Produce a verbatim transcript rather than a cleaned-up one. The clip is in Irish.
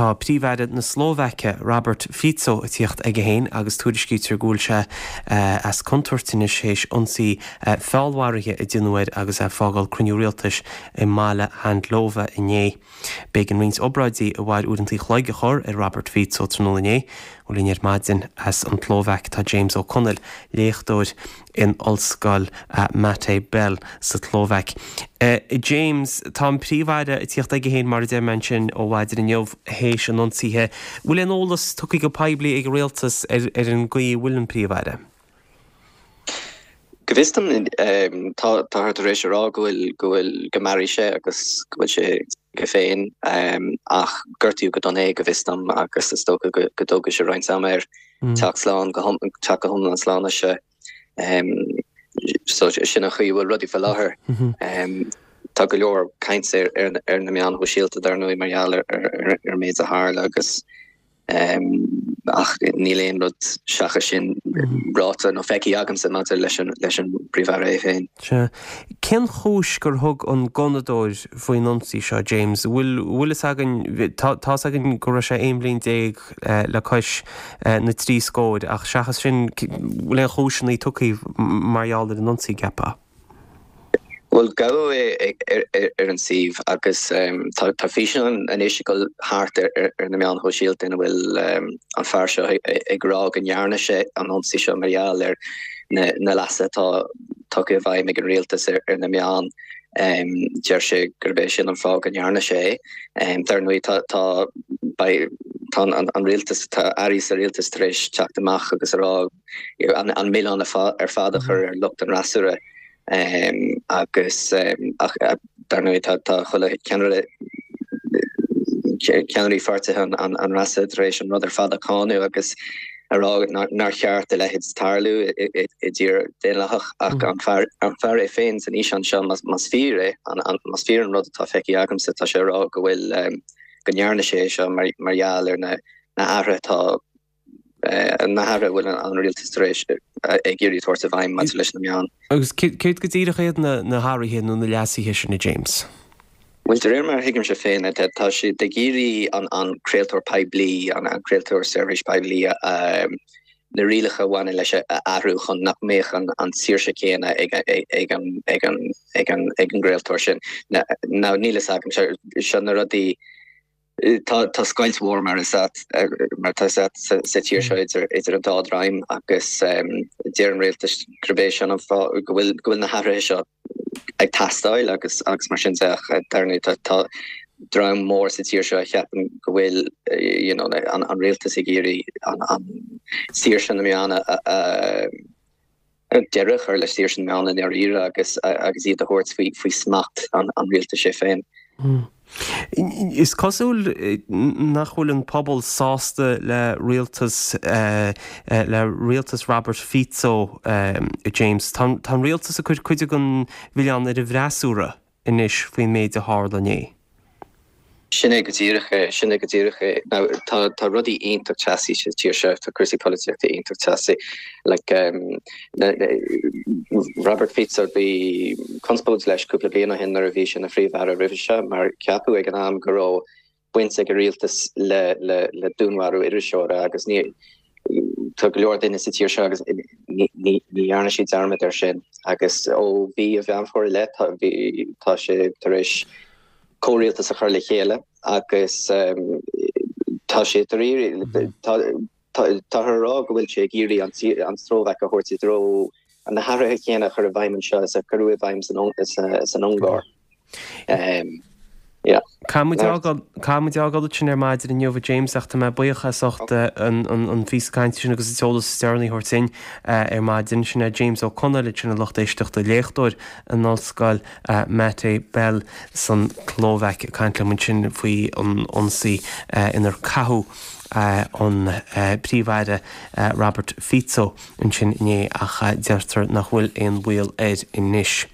Tá Príomh-Aire na Slóvaice, Robert Fico, ag tíocht aige féin agus tuairiscítear go bhfuil sé as contúirt anois théis ionsaí feallmharaithe a déanadh air agus é ag fágáil cruinniú rialtais i mbaile Handlova inné. B'éigean roinnt obráidí a mhair uaireanta an chloig a chur ar Robert Fico tráthnóna inné. Linn ar maidin as an tSlóvaic tá James Ó Conaill, léachtóir in Ollscoil Matej Bel sa tSlóvaic. James, tá an Príomh-Aire ag tíocht aige féin mar a deir mé ansin ó mhaidin inniu théis an ionsaithe. Bhfuil aon eolas tugtha go poiblí ag an rialtas ar ar an gcaoi a bhfuil an Príomh-Aire? Go bhfios dom tá táthar tar éis a rá go bhfuil go bhfuil go mairfidh sé agus go bhfuil sé aige féin ach gortaíodh go dona é go bhfios dom agus is dócha go go dtógfaidh sé roinnt ama air teacht slán go teacht go hiomlán slán as sé. So sin an chaoi a bhfuil rudaí faoi láthair. Tá go leor caint ar ar na meáin shóisialta dar ndóigh mar gheall ar ar ar an méid a tharla agus ach níl aon rud seachas sin ráite nó feicthe agamsa maidir leis an leis an bPríomh-Aire é féin. Sea. Cén chúis gur thug an gunnadóir faoin ionsaí seo, James? Bhfuil bhfuil fhios againn, tá tá fhios againn go raibh sé aon bhliain déag le cois na trí scóir ach seachas sin, bhfuil aon chúiseanna tugtha mar gheall ar an ionsaí, ceapfá? Bhuel, gabhadh é ar an suíomh agus tá físeán anois ag dul thart ar na meáin shóisialta ina bhfuil an fear seo ag rá go ndearna sé an ionsaí seo mar gheall ar na leasuithe atá tugtha i bhfeidhm ag an rialtas ar na meáin. Deir sé gurb é sin an fáth go ndearna sé é. Dar ndóigh tá tá tá an rialtas, tá airí sa rialtas tar éis teacht amach agus a rá an milleán ar fad a chur ar lucht an fhreasúra. Agus ach dar ndóigh tá tá chuile cheannaire ceannairí pháirtithe an an fhreasúra tar éis an rud ar fad a cháineadh agus a rá nár cheart a leithéid tarlú i dtír daonlathach ach an fear an fear é féin san fhíseán seo más fíor é más fíor an rud atá feicthe agamsa tá sé ag rá go bhfuil go ndearna sé é seo mar mar gheall ar na na hathruithe atá na hathruithe a bhfuil an rialtas tar éis ag iarraidh tabhairt i bhfeidhm maidir leis na meáin. Agus céard go díreach iad na hathruithe nó na leasuithe sin, a James? Bhuel, de réir mar a thuigimse féin, tá siad ag iarraidh an craoltóir poiblí, an craoltóir seirbhís poiblí, na rialacha a bhaineann leis a athrú chun nach mbeadh an tsaoirse chéanna ag an gcraoltóir sin. Now, níl a fhios agam, seo na rudaí. Tá scoilt mhór mar is mar atá sa tír seo idir idir an dá dhream agus deir an rialtas gurb é sin an fáth go bhfuil go bhfuil na hathruithe seo ag teastáil agus agus mar sin de ach dar ndóigh tá tá dream mór sa tír seo a cheapann go bhfuil you know an an rialtas ag iarraidh an an saoirse na meán a a deireadh a chur le saoirse na meán i ndáiríre agus agus iad a thabhairt faoi faoi smacht an an rialtais é féin. Is cosúil nach bhfuil an pobal sásta le rialtas le rialtas Robert Fico, James. Tá an rialtas ag cur cuid den mhilleán ar an bhfreasúra anois faoin méid a tharla inné. Sin é go díreach é, sin é go díreach é. Now, tá, tá rudaí iontach teasaí sa tír seo, tá cúrsaí polaitíochta iontach teasaí. Like, um, na, na, Robert Fico, bhí conspóid leis cúpla bliain ó shin nuair a bhí sé ina phríomh-aire roimhe seo, mar ceapadh ag an am go raibh baint ag an rialtas le, le, le dúnmharú iriseora agus ní, tá go leor duine sa tír seo agus ní, ní, ní dhearna siad dearmad air sin. Agus ó mhí an Mheán Fómhair i leith, tá, bhí, tá sé tar éis comhrialtas a chur le chéile agus tá sé tar iarraidh, táthar a rá go bhfuil sé ag iarraidh an tSlóvaic a thabhairt i dtreo na hathruithe céanna a chur i bhfeidhm anseo is a cuireadh i bhfeidhm san Ungáir. Yeah. Caithfidh muid fágáil ansin ar maidin inniu, a James, ach tá mé buíoch as ucht an phíosa cainte sin agus an t-eolas is deireanaí a thabhairt dúinn ar maidin. Sin é James Ó Conaill ansin, a lucht éisteachta, léachtóir in Ollscoil Matej Bel san tSlóvaic ag caint liom ansin faoi an ionsaí inar caitheadh an Príomh-Aire Robert Fico ansin inné ach deirtear nach bhfuil aon bhaol air anois.